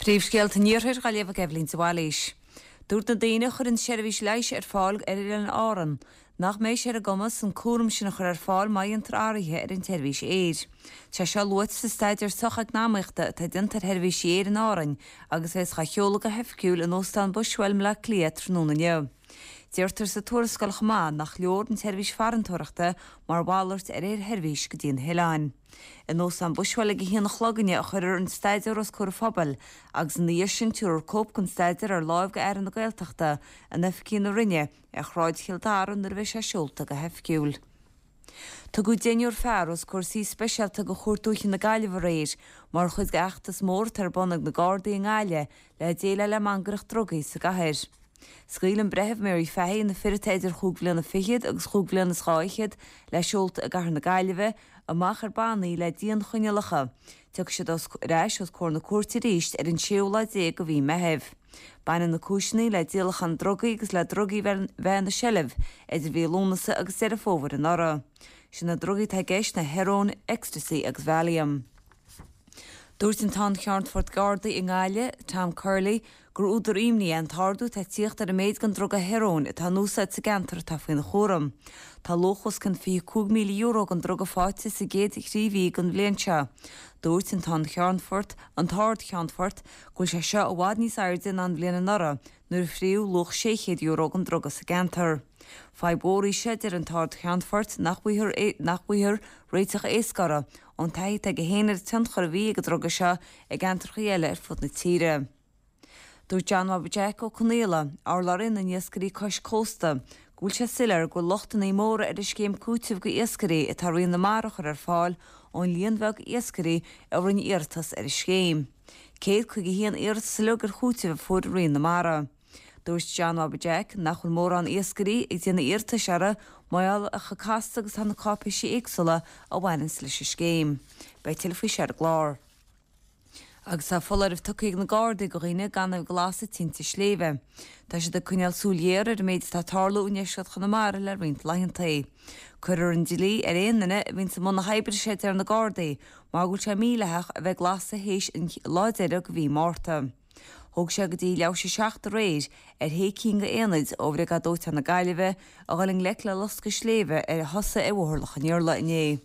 Príomhscéalta an Iarthair á léamh ag Eibhlín de Bhailís. Dúirt na daoine a chuireann seirbhís leighis ar fáil ar Oileáin Árann nach mbeidh sé ar a gcumas an cúram sin a chur ar fáil má dhéantar athruithe ar an tseirbhís aeir. Tá seo luaite sa staidéar socheacnamaíochta atá déanta ar sheirbhísí aeir in Árainn agus a bheas á sheoladh go hoifigiúil in Óstán Bushwell i mBleá Cliath tráthnóna inniu. Deirtear sa tuarascáil chomh maith nach leor an tseirbhís farantóireachta mar mhalairt ar aersheirbhís go dtí na hoileáin. In Óstán Bushwell ag a haon a chlog inniu a chuirfear an staidéar os comhair an phobail agus ina dhiaidh sin tabharfar cóip den staidéar ar láimh go Aire na Gaeltachta in oifigí na Roinne ar Shráid Chill Dara nuair a bheidh sé seolta go hoifigiúil. Tugadh deichniúr fear os comhair suí speisialta de Chúirt Dúiche na Gaillimhe aréir mar chuid d'fheachtas mór atá ar bun ag na Gardaí i nGaillimh le déileáil le mangaireacht drugaí sa gcathair. Scaoil an Breitheamh Mary Fahy na fir atá idir chúig bhliana fichead agus chúig bhliana is dhá fhichead, le seolta i gcathair na Gaillimhe, amach ar bannaí le dianchoinníollacha. Tiocfaidh siad ar ais os comhair na cúirte arís ar an séú lá déag de mhí Meithimh. Baineann na cúiseanna le díolachán drugaí agus le drugaí bheith ina seilbh idir mhí Lúnasa agus Deireadh Fómhair anuraidh. Is iad na drugaí atá i gceist ná hearóin, ecstasy agus Valium. Dúirt an tArd-Cheannfort Gardaí i nGaillimh, Tom Curley, gur údar imní é an t-ardú atá ag tíocht ar an méid den druga hearóin atá in úsáid sa gceantar atá faoina chúram. Tá luach os cionn €25,000 den druga faighte sa gcéad thrí mhí den bhliain seo. Dúirt an tArd-Cheannfort an tArd-Cheannfort go bhfuil sé seo i bhfad níos airde ná an bhliain anuraidh nuair a fríodh luach €600 den druga sa gceantar. Fadhb mhór í seo, a deir an tArd-Cheannfort, nach bhfaighfear réiteach éasca uirthi, ón taithí atá aige féin ar an tionchar a bhí ag an druga seo i gceantracha eile ar fud na tíre. Dúirt John Bhobby Jack Ó Conaola, urlabhraí na n-iascairí cois cósta, go bhfuil sé soiléir go bhfuil lochtanna móra ar an scéim cúitimh go iascairí atá Roinn na Mara a chur ar fáil ón líon bheag iascairí a rinne iarratas ar an scéim. 151 iarratas uilig ar chúiteamh a fuair Roinn na Mara. Dúirt John Bhobby Jack nach bhfuil mórán iascairí ag déanamh iarratais uirthi mar gheall ar chomh casta agus atá na cáipéisí éagsúla a bhaineanns leis an scéim. Beidh tuilleadh faoi seo ar an gclár. Agus tá foláireamh tugtha ag na Gardaí do dhaoine gan a bheith ag lasadh tinte sléibhe. Tá siad ag coinneáil súil ghéar ar an méid atá ag tarlú i ndeisceart Chonamara le roinnt laethantaí. Cuirfear an dlí ar aon duine a bhíonns i mbun na hoibre seo a deir na Gardaí mar go bhfuil sé mídhleathach a bheith ag lasadh théis an lá deiridh de mhí Márta. Thóg sé go dtí leathuair théis a 7 aréir ar shé cinn de aonaid ó Bhriogáid Dóiteáin na Gaillimhe a dhul i ngleic le loscadh sléibhe a thosaigh ar Bhóthar Loch an Iarla inné.